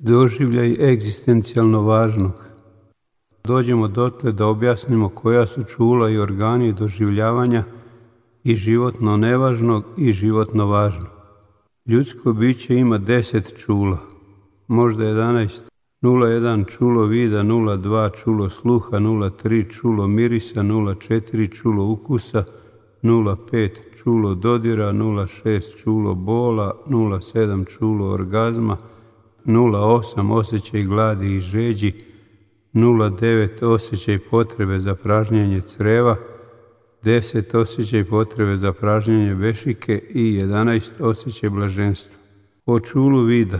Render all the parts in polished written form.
doživljaj egzistencijalno važnog. Dođemo dotle da objasnimo koja su čula i organi doživljavanja i životno nevažnog i životno važnog. Ljudsko biće ima 10 čula, možda 11. 0,1 čulo vida, 0,2 čulo sluha, 0,3 čulo mirisa, 0,4 čulo ukusa, 0,5 čulo dodira, 0,6 čulo bola, 0,7 čulo orgazma, 0,8 osjećaj gladi i žeđi, 0,9 osjećaj potrebe za pražnjenje creva, 10 osjećaj potrebe za pražnjenje vešike i 11 osjećaj blaženstva. O čulu vida.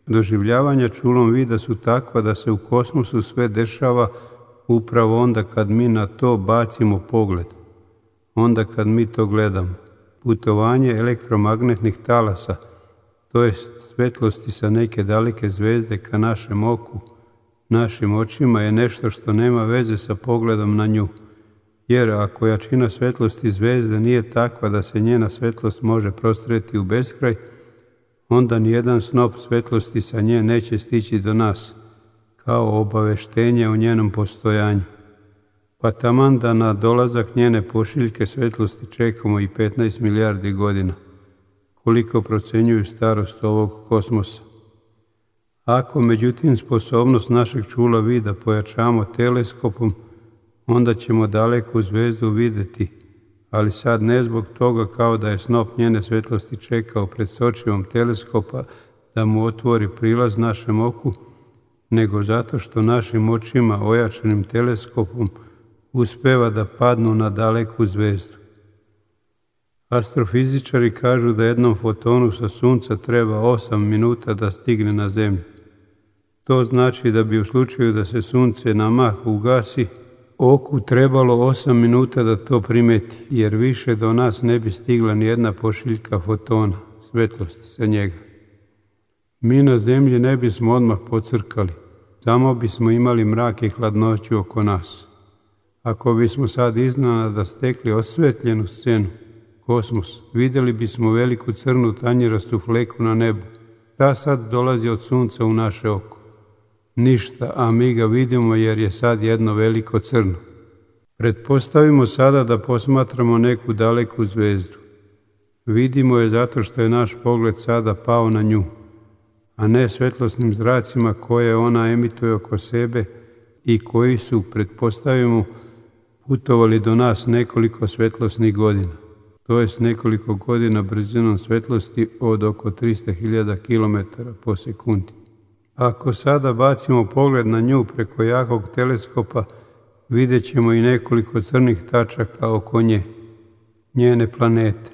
Doživljavanja čulom vida su takva da se u kosmosu sve dešava upravo onda kad mi na to bacimo pogled, onda kad mi to gledamo. Putovanje elektromagnetnih talasa, to jest svetlosti sa neke daleke zvezde ka našem oku, našim očima je nešto što nema veze sa pogledom na nju. Jer ako jačina svetlosti zvezde nije takva da se njena svetlost može prostreti u beskraj, onda nijedan snop svetlosti sa nje neće stići do nas, kao obaveštenje o njenom postojanju. Pa taman da na dolazak njene pošiljke svetlosti čekamo i 15 milijardi godina, koliko procenjuju starost ovog kosmosa. Ako međutim sposobnost našeg čula vida pojačamo teleskopom, onda ćemo daleku zvezdu vidjeti, ali sad ne zbog toga kao da je snop njene svetlosti čekao pred sočivom teleskopa da mu otvori prilaz našem oku, nego zato što našim očima ojačanim teleskopom uspeva da padnu na daleku zvezdu. Astrofizičari kažu da jednom fotonu sa sunca treba 8 minuta da stigne na zemlju. To znači da bi u slučaju da se sunce na mah ugasi, oku trebalo 8 minuta da to primeti, jer više do nas ne bi stigla ni jedna pošiljka fotona, svetlosti sa njega. Mi na zemlji ne bismo odmah pocrkali, samo bismo imali mrak i hladnoću oko nas. Ako bismo sad iznenada stekli osvetljenu scenu, kosmos, vidjeli bismo veliku crnu tanjirastu fleku na nebu. Ta sad dolazi od sunca u naše oko. Ništa, a mi ga vidimo jer je sad jedno veliko crno. Pretpostavimo sada da posmatramo neku daleku zvezdu. Vidimo je zato što je naš pogled sada pao na nju, a ne svetlosnim zracima koje ona emituje oko sebe i koji su, pretpostavimo, putovali do nas nekoliko svetlosnih godina. To jest nekoliko godina brzinom svetlosti od oko 300.000 km po sekundi. Ako sada bacimo pogled na nju preko jakog teleskopa, vidjet ćemo i nekoliko crnih tačaka oko nje, njene planete.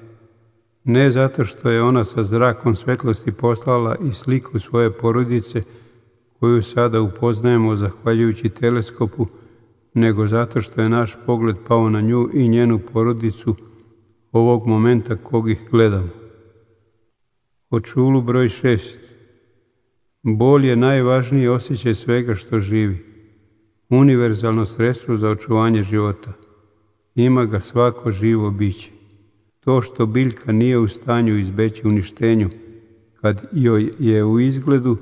Ne zato što je ona sa zrakom svetlosti poslala i sliku svoje porodice, koju sada upoznajemo zahvaljujući teleskopu, nego zato što je naš pogled pao na nju i njenu porodicu ovog momenta kog ih gledamo. O čulu broj 6. Bol je najvažniji osjećaj svega što živi. Univerzalno sredstvo za očuvanje života. Ima ga svako živo biće. To što biljka nije u stanju izbeći uništenju, kad joj je u izgledu,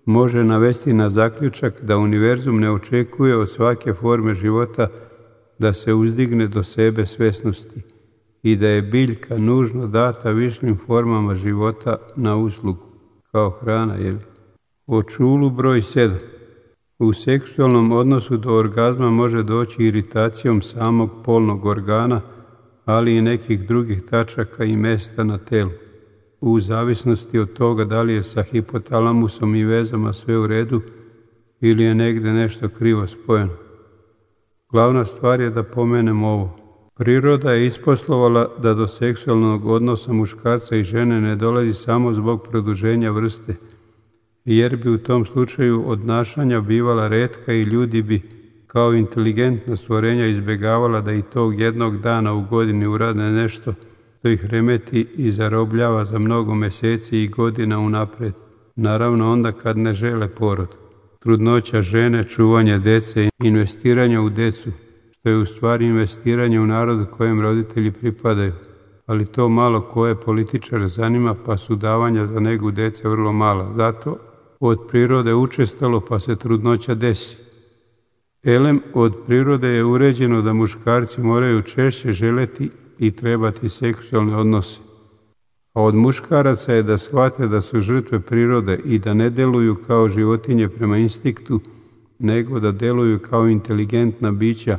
može navesti na zaključak da univerzum ne očekuje od svake forme života da se uzdigne do sebe svesnosti i da je biljka nužno data višim formama života na uslugu, kao hrana, O čulu broj 7. U seksualnom odnosu do orgazma može doći iritacijom samog polnog organa, ali i nekih drugih tačaka i mesta na telu, u zavisnosti od toga da li je sa hipotalamusom i vezama sve u redu ili je negdje nešto krivo spojeno. Glavna stvar je da pomenemo ovo. Priroda je isposlovala da do seksualnog odnosa muškarca i žene ne dolazi samo zbog produženja vrste, jer bi u tom slučaju odnašanja bivala retka i ljudi bi kao inteligentna stvorenja izbjegavala da i tog jednog dana u godini urade nešto što ih remeti i zarobljava za mnogo mjeseci i godina unaprijed. Naravno onda kad ne žele porod. Trudnoća žene, čuvanje dece, investiranje u decu, što je u stvari investiranje u narod kojem roditelji pripadaju. Ali to malo koje političare zanima, pa su davanja za negu dece vrlo mala. Zato od prirode učestalo pa se trudnoća desi. Elem, od prirode je uređeno da muškarci moraju češće želeti i trebati seksualne odnose. A od muškaraca je da shvate da su žrtve prirode i da ne deluju kao životinje prema instinktu, nego da deluju kao inteligentna bića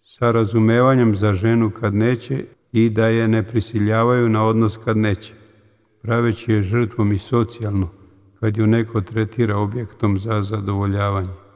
sa razumevanjem za ženu kad neće i da je ne prisiljavaju na odnos kad neće, praveći je žrtvom i socijalno, kad ju neko tretira objektom za zadovoljavanje.